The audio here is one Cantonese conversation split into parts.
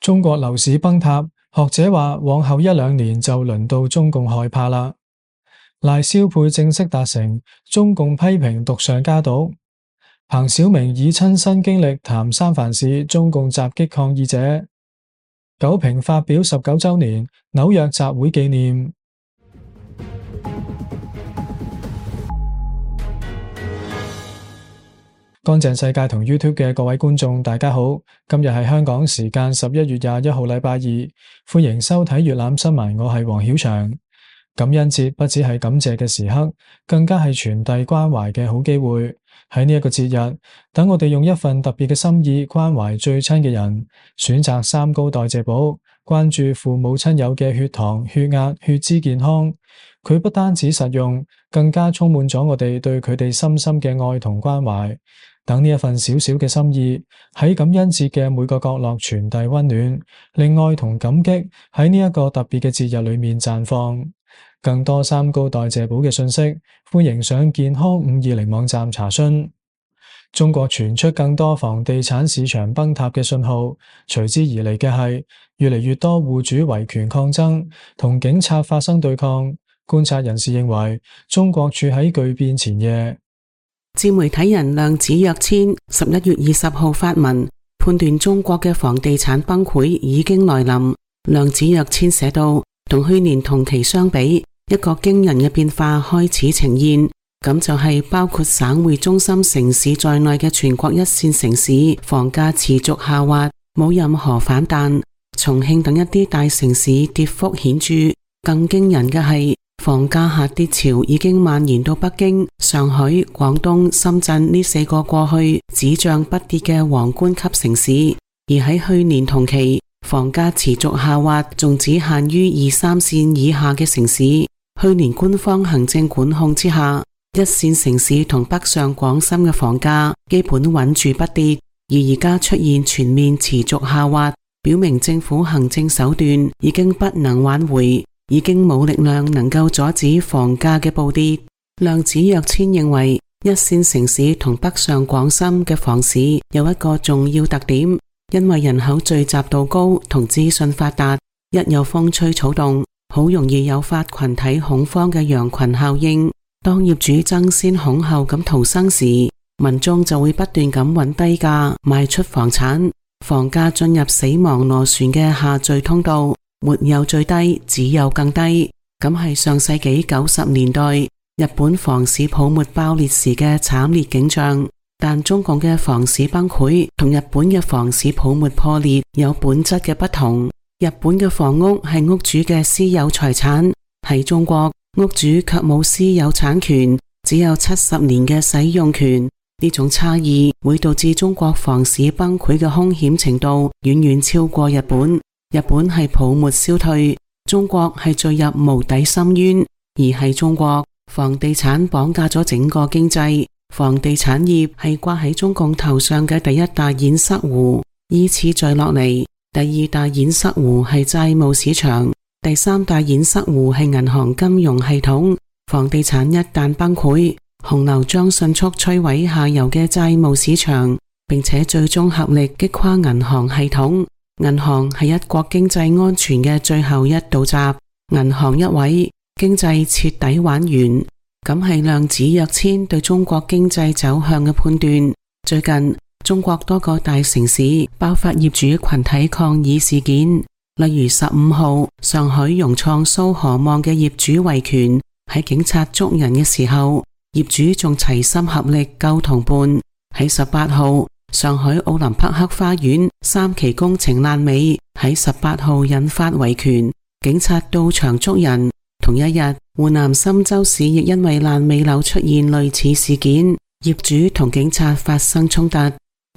中國樓市崩塌，學者話往後1-2年就輪到中共害怕啦。賴蕭配正式達成，中共批評毒上加毒。彭曉明以親身經歷談三藩市中共襲擊抗議者。九平發表19週年紐約集會紀念。乾淨世界同 YouTube 嘅各位觀眾大家好，今日係香港時間11月21號禮拜二，歡迎收睇粵覽新聞，我係黃曉翔。感恩節不只係感謝嘅時刻，更加係傳遞關懷嘅好機會。喺呢一個節日，等我哋用一份特別嘅心意關懷最親嘅人，選擇三高代謝寶，關注父母親友嘅血糖、血壓、血脂健康。佢不單止實用，更加充滿咗我哋對佢哋深深嘅愛同關懷。等呢一份小小嘅心意喺感恩節嘅每個角落傳遞溫暖，令愛同感激喺呢一個特別嘅節日裏面綻放。更多三高代謝寶嘅信息，歡迎上健康520網站查詢。中國傳出更多房地產市場崩塌嘅信號，隨之而嚟嘅係越嚟越多戶主維權抗爭，同警察發生對抗。觀察人士認為，中國處喺巨變前夜。自媒體人量子躍遷11月20號發文，判斷中國嘅房地產崩潰已經來臨。量子躍遷寫道，同去年同期相比，一個驚人嘅變化開始呈現，咁就係包括省會中心城市在內嘅全國一線城市房價持續下滑，冇任何反彈。重慶等一啲大城市跌幅顯著，更驚人嘅係房價下跌潮已經蔓延到北京、上海、廣東、深圳呢4個過去只漲不跌嘅皇冠級城市。而喺去年同期，房價持續下滑，仲只限於2、3線以下嘅城市。去年官方行政管控之下，一線城市同北上廣深嘅房價基本穩住不跌，而而家出現全面持續下滑，表明政府行政手段已經不能挽回，已經冇力量能夠阻止房價嘅暴跌。量子躍遷認為，一線城市同北上廣深嘅房市有一個重要特點，因為人口聚集度高同資訊發達，一有風吹草動，好容易誘發群體恐慌嘅羊群效應。當業主爭先恐後咁逃生時，民眾就會不斷咁揾低價賣出房產，房價進入死亡螺旋嘅下墜通道，沒有最低，只有更低。咁係上世紀90年代日本房市泡沫爆裂時嘅慘烈景象。但中共嘅房市崩潰同日本嘅房市泡沫破裂有本質嘅不同。日本嘅房屋係屋主嘅私有財產，喺中國屋主卻冇私有產權，只有70年嘅使用權。呢種差異會導致中國房市崩潰嘅兇險程度遠遠超過日本。日本係泡沫消退，中國係墜入無底深淵。而喺中國，房地產綁架咗整個經濟，房地產業係掛喺中共頭上嘅第一大堰塞湖。依次再落嚟，第二大堰塞湖係債務市場，第三大堰塞湖係銀行金融系統。房地產一旦崩潰，洪流將迅速摧毀下游嘅債務市場，並且最終合力擊垮銀行系統。銀行係一國經濟安全嘅最後一道閘，銀行一毀，經濟徹底玩完。咁係量子躍遷對中國經濟走向嘅判斷。最近中國多個大城市爆發業主群體抗議事件，例如15號上海融創蘇荷望嘅業主維權，喺警察捉人嘅時候，業主仲齊心合力救同伴。喺18號上海奧林匹克花園3期工程爛尾，喺18號引發維權，警察到場捉人。同一日，湖南郴州市亦因為爛尾樓出現類似事件，業主同警察發生衝突。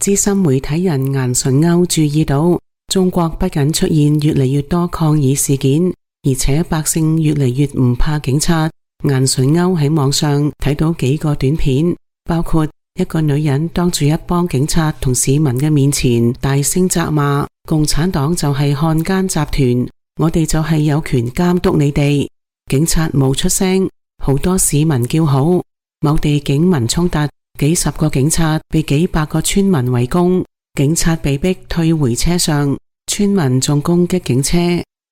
資深媒體人顏純歐注意到，中國不僅出現越嚟越多抗議事件，而且百姓越嚟越唔怕警察。顏純歐喺網上睇到幾個短片，包括一個女人當住一幫警察同市民嘅面前大聲責罵共產黨就係漢奸集團，我哋就係有權監督你哋。警察冇出聲，好多市民叫好。某地警民衝突，幾十個警察被幾百個村民圍攻，警察被逼退回車上，村民仲攻擊警車，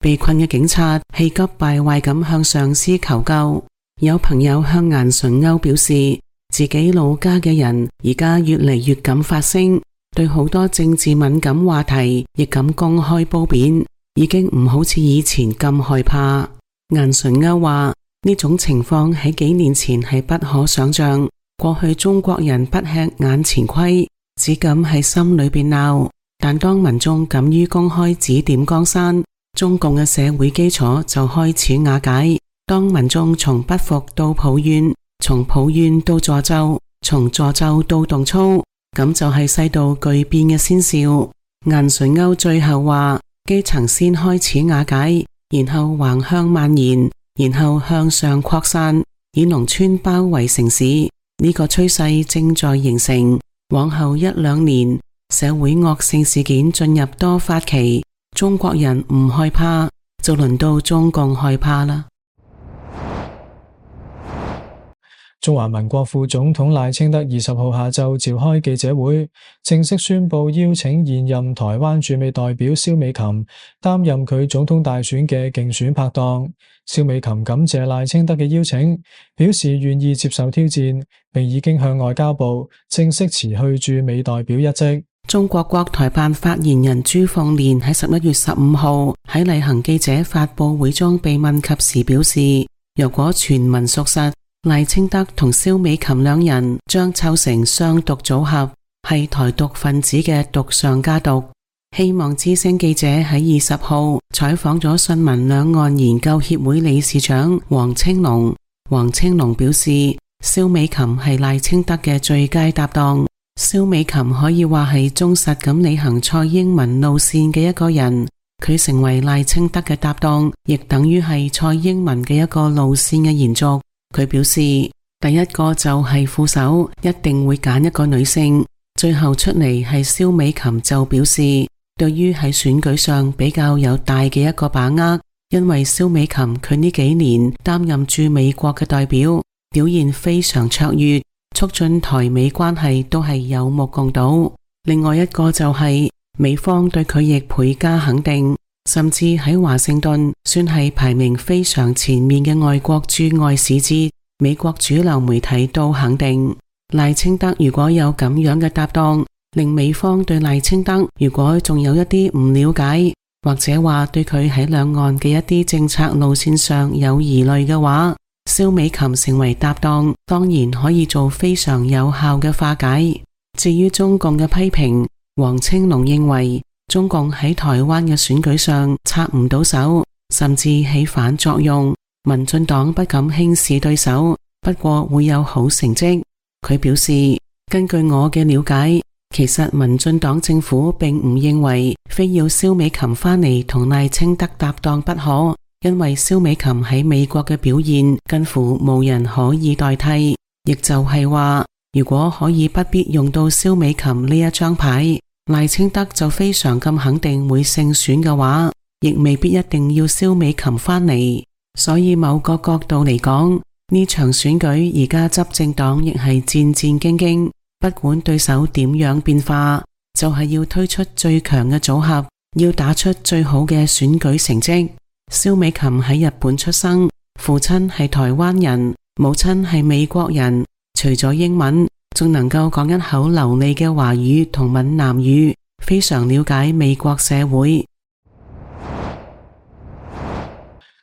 被困嘅警察氣急敗壞咁向上司求救。有朋友向顏純鈎表示，自己老家嘅人而家越嚟越敢發聲，對好多政治敏感話題亦敢公開褒貶，已經唔好似以前咁害怕。顏純鈎話，呢種情況喺幾年前係不可想象，過去中國人不吃眼前虧，只敢喺心裏邊鬧，但當民眾敢於公開指點江山，中共嘅社會基礎就開始瓦解。當民眾從不服到抱怨，從抱怨到助紂，從助紂到動粗，咁就係世道巨變嘅先兆。顏純鈎最後話，基層先開始瓦解，然後橫向蔓延，然後向上擴散，以農村包圍城市。呢個趨勢正在形成，往後一兩年，社會惡性事件進入多發期，中國人唔害怕，就輪到中共害怕啦。中華民國副總統賴清德20號下晝召開記者會，正式宣布邀請現任台灣駐美代表蕭美琴擔任佢總統大選嘅競選拍檔。蕭美琴感謝賴清德嘅邀請，表示願意接受挑戰，並已經向外交部正式辭去駐美代表一職。中國國台辦發言人朱鳳蓮喺11月15號喺例行記者發佈會中被問及時表示，如果傳聞屬實，賴清德同蕭美琴兩人將湊成雙獨組合，係台獨分子嘅獨上加獨。希望之聲記者喺20號採訪咗信民兩岸研究協會理事長黃青龍。黃青龍表示，蕭美琴係賴清德嘅最佳搭檔。蕭美琴可以話係忠實咁履行蔡英文路線嘅一個人，佢成為賴清德嘅搭檔，亦等於係蔡英文嘅一個路線嘅延續。佢表示，第一個就係副手，一定會揀一個女性。最後出嚟係蕭美琴就表示，對於喺選舉上比較有大嘅一個把握，因為蕭美琴佢呢幾年擔任駐美國嘅代表，表現非常卓越，促進台美關係都係有目共睹。另外一個就係美方對佢亦倍加肯定，甚至喺華盛頓算係排名非常前面嘅外國駐外使節，美國主流媒體都肯定賴清德如果有咁樣嘅搭檔，令美方對賴清德如果仲有一啲唔了解，或者話對佢喺兩岸嘅一啲政策路線上有疑慮嘅話，蕭美琴成為搭檔，當然可以做非常有效嘅化解。至於中共嘅批評，黃青龍認為中共喺台灣嘅選舉上插唔到手，甚至起反作用。民進黨不敢輕視對手，不過會有好成績。佢表示，根據我嘅了解，其實民進黨政府並唔認為非要蕭美琴返嚟同賴清德搭檔不可，因為蕭美琴喺美國嘅表現近乎無人可以代替。亦就係話，如果可以不必用到蕭美琴呢一張牌，賴清德就非常咁肯定會勝選嘅話，亦未必一定要蕭美琴返嚟。所以某個角度嚟講，呢場選舉而家執政黨亦係戰戰兢兢，不管對手點樣變化，就係要推出最強嘅組合，要打出最好嘅選舉成績。蕭美琴喺日本出生，父親係台灣人，母親係美國人，除咗英文，仲能夠講一口流利嘅華語同閩南語，非常了解美國社會。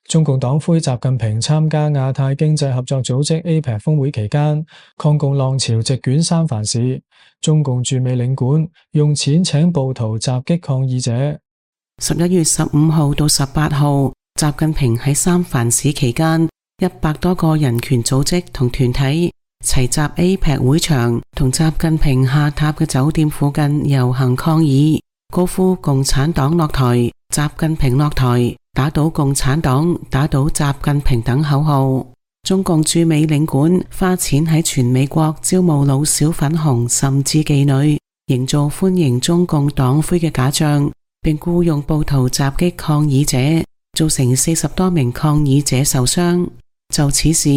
中共黨魁習近平參加亞太經濟合作組織 APEC 峰會期間，抗共浪潮席捲三藩市，中共駐美領館用錢請暴徒襲擊抗議者。11月15號到18號，習近平喺三藩市期間，100多個人權組織同團體齊集 APEC 會場，同習近平下榻嘅酒店附近遊行抗議，高呼共產黨落台，習近平落台，打倒共產黨，打倒習近平等口號。中共駐美領館花錢喺全美國招募老小粉紅甚至妓女，營造歡迎中共黨魁嘅假象，並僱用暴徒襲擊抗議者，造成40多名抗議者受傷。就此事，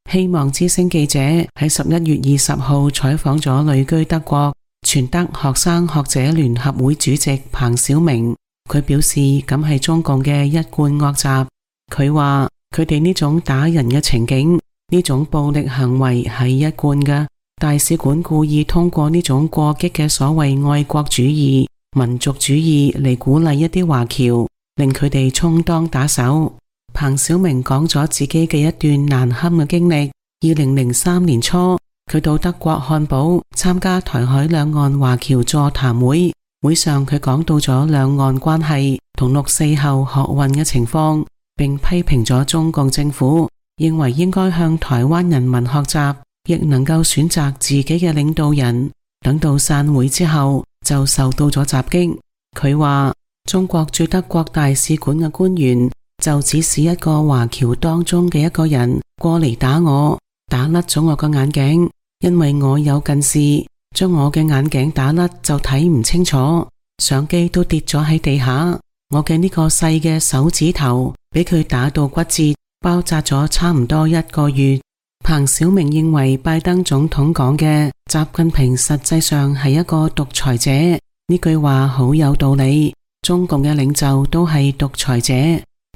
希望之聲記者喺11月20號採訪咗旅居德國全德學生學者聯合會主席彭小明。佢表示咁係中共嘅一貫惡習。佢話佢哋呢種打人嘅情景，呢種暴力行為係一貫嘅。大使館故意通過呢種過激嘅所謂愛國主義、民族主義嚟鼓勵一啲華僑，令佢哋充當打手。彭小明講咗自己嘅一段難堪嘅經歷。2003年初，佢到德國漢堡參加台海兩岸華僑座談會，會上佢講到咗兩岸關係同六四後學運嘅情況，並批評咗中共政府，認為應該向台灣人民學習，亦能夠選擇自己嘅領導人。等到散會之後，就受到咗襲擊。佢話中國駐德國大使館嘅官員就只是一個華僑當中嘅一個人過嚟打我，打甩咗我個眼鏡，因為我有近視，將我嘅眼鏡打甩就睇唔清楚，相機都跌咗喺地下，我嘅呢個細嘅手指頭俾佢打到骨折，包紮咗差唔多1個月。彭小明認為拜登總統講嘅習近平實際上係一個獨裁者，呢句話好有道理，中共嘅領袖都係獨裁者。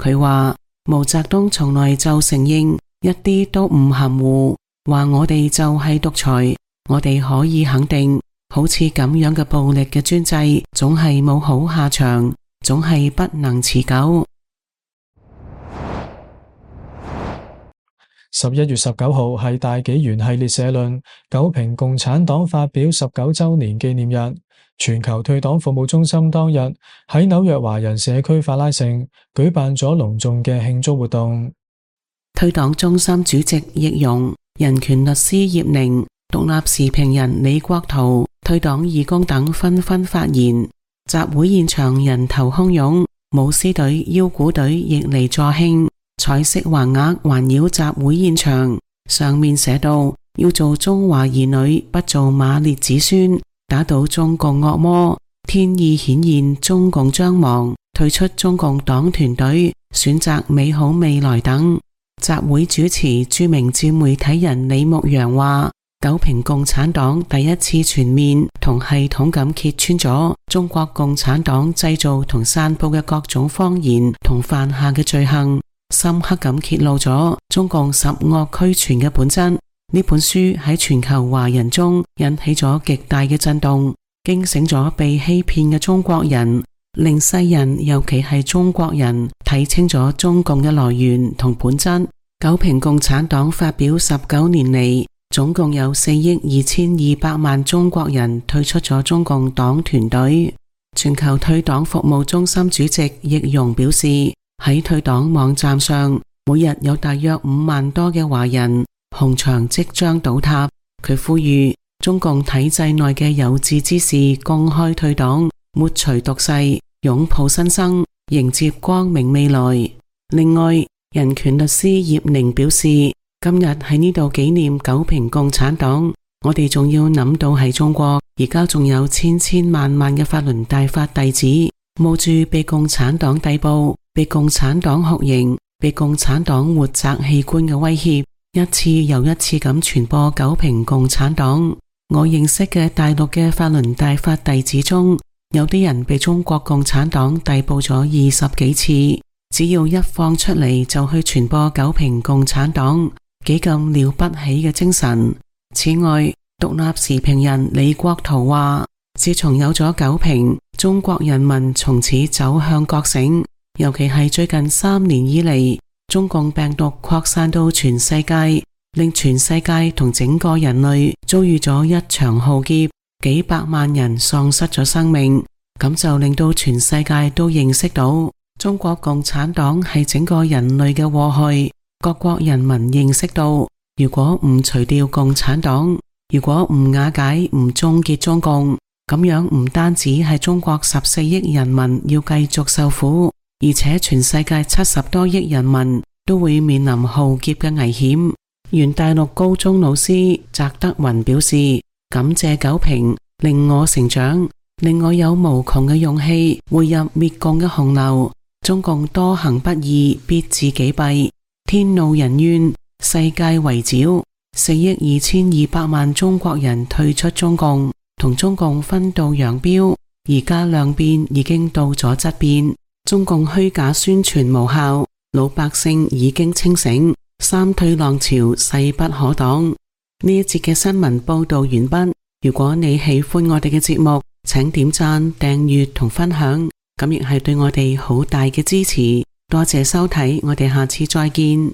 佢話毛澤東從來就承認，一啲都唔含糊，話我哋就係獨裁。我哋可以肯定，好似咁樣嘅暴力嘅專制總係冇好下場，總係不能持久。11月19號係大紀元系列社論，九評共產黨發表19週年紀念日。全球退黨服務中心當日喺紐約華人社區法拉盛舉辦咗隆重嘅慶祝活動。退黨中心主席易容、人權律師葉寧、獨立時評人李國濤、退黨義工等紛紛發言。集會現場人頭洶湧，舞獅隊、腰鼓隊亦嚟助興。彩色橫額環繞集會現場，上面寫道：要做中華兒女，不做馬列子孫，打倒中共惡魔，天意顯現，中共將亡，退出中共黨團隊，選擇美好未來等。集會主持著名自媒體人李牧陽話：九評共產黨第一次全面同系統咁揭穿咗中國共產黨製造同散佈嘅各種謊言同犯下嘅罪行，深刻咁揭露咗中共十惡俱全嘅本質。呢本書喺全球華人中引起咗極大嘅震動，驚醒咗被欺騙嘅中國人，令世人尤其係中國人睇清咗中共嘅來源同本質。九評共產黨發表19年嚟，總共有4億2200萬中國人退出咗中共黨團隊。全球退黨服務中心主席易容表示，喺退黨網站上，每日有大約5萬多嘅華人紅牆即將倒塌。佢呼籲中共體制內嘅有志之士公開退黨，抹除毒誓，擁抱新生，迎接光明未來。另外，人權律師葉寧表示，今日喺呢度紀念九評共產黨，我哋仲要諗到喺中國，而家仲有千萬萬嘅法輪大法弟子，冒住被共產黨逮捕、被共產黨酷刑、被共產黨活摘器官嘅威脅，一次又一次咁傳播九評共產黨。我認識嘅大陸嘅法輪大法弟子中，有啲人被中國共產黨逮捕咗20幾次，只要一放出嚟就去傳播九評共產黨，幾咁了不起嘅精神。此外，獨立時評人李國濤話，自從有咗九評，中國人民從此走向覺醒，尤其係最近3年以嚟，中共病毒擴散到全世界，令全世界同整個人類遭遇咗一場浩劫，幾百萬人喪失咗生命，咁就令到全世界都認識到中國共產黨係整個人類嘅禍害。各國人民認識到，如果唔除掉共產黨，如果唔瓦解、唔終結中共，咁樣唔單止係中國14億人民要繼續受苦，而且全世界70多億人民都會面臨浩劫嘅危險。原大陸高中老師翟德雲表示，感謝九評，令我成長，令我有無窮嘅勇氣匯入滅共嘅洪流。中共多行不義，必自己弊，天怒人怨，世界圍剿。4億2200萬中國人退出中共，同中共分道揚鑣，而家量變已經到咗質變，中共虛假宣傳無效，老百姓已經清醒，三退浪潮勢不可擋。呢一節嘅新聞報道完畢。如果你喜歡我哋嘅節目，請點讚、訂閱同分享，咁亦係對我哋好大嘅支持。多謝收睇，我哋下次再見。